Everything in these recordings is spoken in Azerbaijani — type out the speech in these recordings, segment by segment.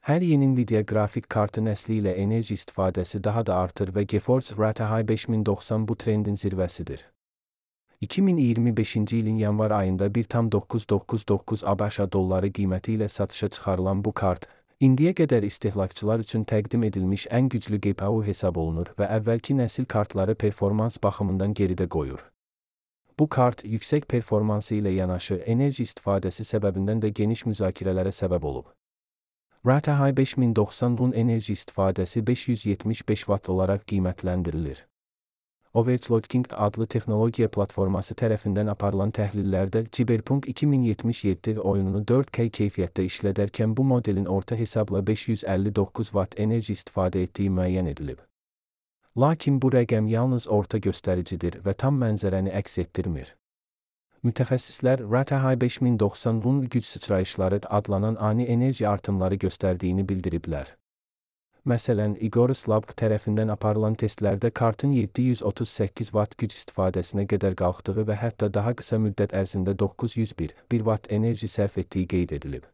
Hər yeni Nvidia qrafik kartı nəsli ilə enerji istifadəsi daha da artır və GeForce RTX 5090 bu trendin zirvəsidir. 2025-ci ilin yanvar ayında 1,999 ABŞ dolları qiyməti ilə satışa çıxarılan bu kart, indiyə qədər istehlakçılar üçün təqdim edilmiş ən güclü GPU hesab olunur və əvvəlki nəsil kartları performans baxımından geridə qoyur. Bu kart, yüksək performansı ilə yanaşı enerji istifadəsi səbəbindən də geniş müzakirələrə səbəb olub. RTX 5090'un enerji istifadəsi 575 Watt olaraq qiymətləndirilir. Overclocking adlı texnologiya platforması tərəfindən aparılan təhlillərdə Cyberpunk 2077 oyununu 4K keyfiyyətdə işlədərkən bu modelin orta hesabla 559 Watt enerji istifadə etdiyi müəyyən edilib. Lakin bu rəqəm yalnız orta göstəricidir və tam mənzərəni əks etdirmir. Mütəxəssislər RTX 5090'un güc sıçrayışları adlanan ani enerji artımları göstərdiyini bildiriblər. Məsələn, Igoris Lab tərəfindən aparılan testlərdə kartın 738 Watt güc istifadəsinə qədər qalxdığı və hətta daha qısa müddət ərzində 901 Watt enerji sərf etdiyi qeyd edilib.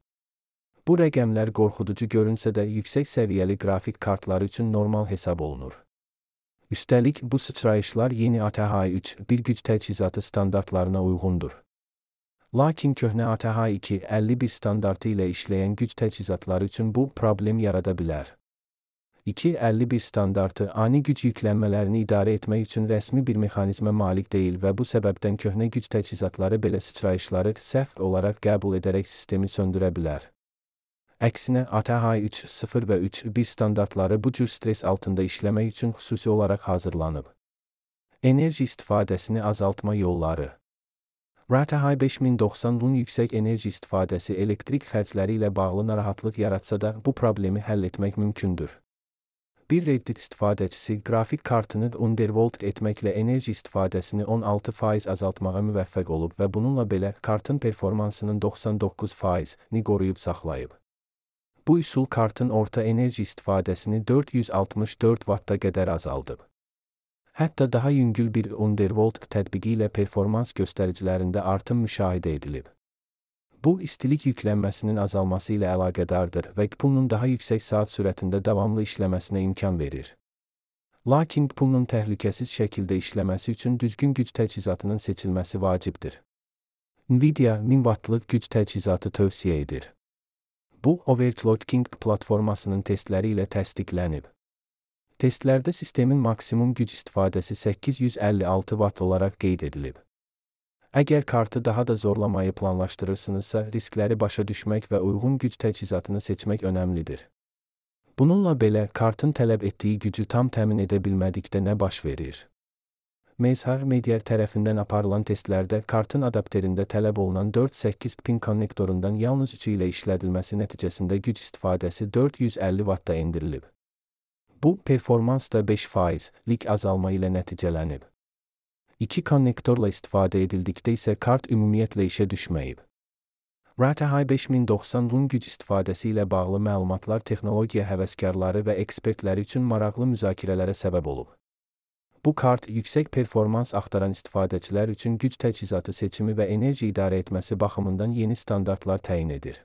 Bu rəqəmlər qorxuducu görünsə də yüksək səviyyəli qrafik kartları üçün normal hesab olunur. Üstəlik, bu sıçrayışlar yeni ATH 3.1 güc təchizatı standartlarına uyğundur. Lakin köhnə ATH 2.51 standartı ilə işləyən güc təchizatları üçün bu problem yarada bilər. 2.51 standartı ani güc yüklənmələrini idarə etmək üçün rəsmi bir mexanizmə malik deyil və bu səbəbdən köhnə güc təchizatları belə sıçrayışları səhv olaraq qəbul edərək sistemi söndürə bilər. Əksinə, ATH 3.0 və 3.1 standartları bu cür stres altında işləmək üçün xüsusi olaraq hazırlanıb. Enerji istifadəsini azaltma yolları. RTX 5090'un yüksək enerji istifadəsi elektrik xərcləri ilə bağlı narahatlıq yaratsa da bu problemi həll etmək mümkündür. Bir Reddit istifadəçisi qrafik kartını undervolt etməklə enerji istifadəsini 16% azaltmağa müvəffəq olub və bununla belə kartın performansının 99%ni qoruyub saxlayıb. Bu üsul kartın orta enerji istifadəsini 464 Watt'a qədər azaldıb. Hətta daha yüngül bir undervolt tətbiqi ilə performans göstəricilərində artım müşahidə edilib. Bu, istilik yüklənməsinin azalması ilə əlaqədardır və GPU-nun daha yüksək saat sürətində davamlı işləməsinə imkan verir. Lakin GPU-nun təhlükəsiz şəkildə işləməsi üçün düzgün güc təchizatının seçilməsi vacibdir. Nvidia 1000 Wattlıq güc təchizatı tövsiyə edir. Bu, Overclocking platformasının testləri ilə təsdiqlənib. Testlərdə sistemin maksimum güc istifadəsi 856 Watt olaraq qeyd edilib. Əgər kartı daha da zorlamayı planlaşdırırsınızsa, riskləri başa düşmək və uyğun güc təchizatını seçmək önəmlidir. Bununla belə, kartın tələb etdiyi gücü tam təmin edə bilmədikdə nə baş verir? Mezhar Media tərəfindən aparılan testlərdə kartın adapterində tələb olunan 4.8 pin konnektorundan yalnız 3 ilə işlədilməsi nəticəsində güc istifadəsi 450 Watt'a endirilib. Bu, performansda 5%lik azalma ilə nəticələnib. 2 konnektorla istifadə edildikdə isə kart ümumiyyətlə işə düşməyib. RTX 5090'un güc istifadəsi ilə bağlı məlumatlar texnologiya həvəskarları və ekspertləri üçün maraqlı müzakirələrə səbəb olub. Bu kart, yüksək performans axtaran istifadəçilər üçün güc təchizatı seçimi və enerji idarə etməsi baxımından yeni standartlar təyin edir.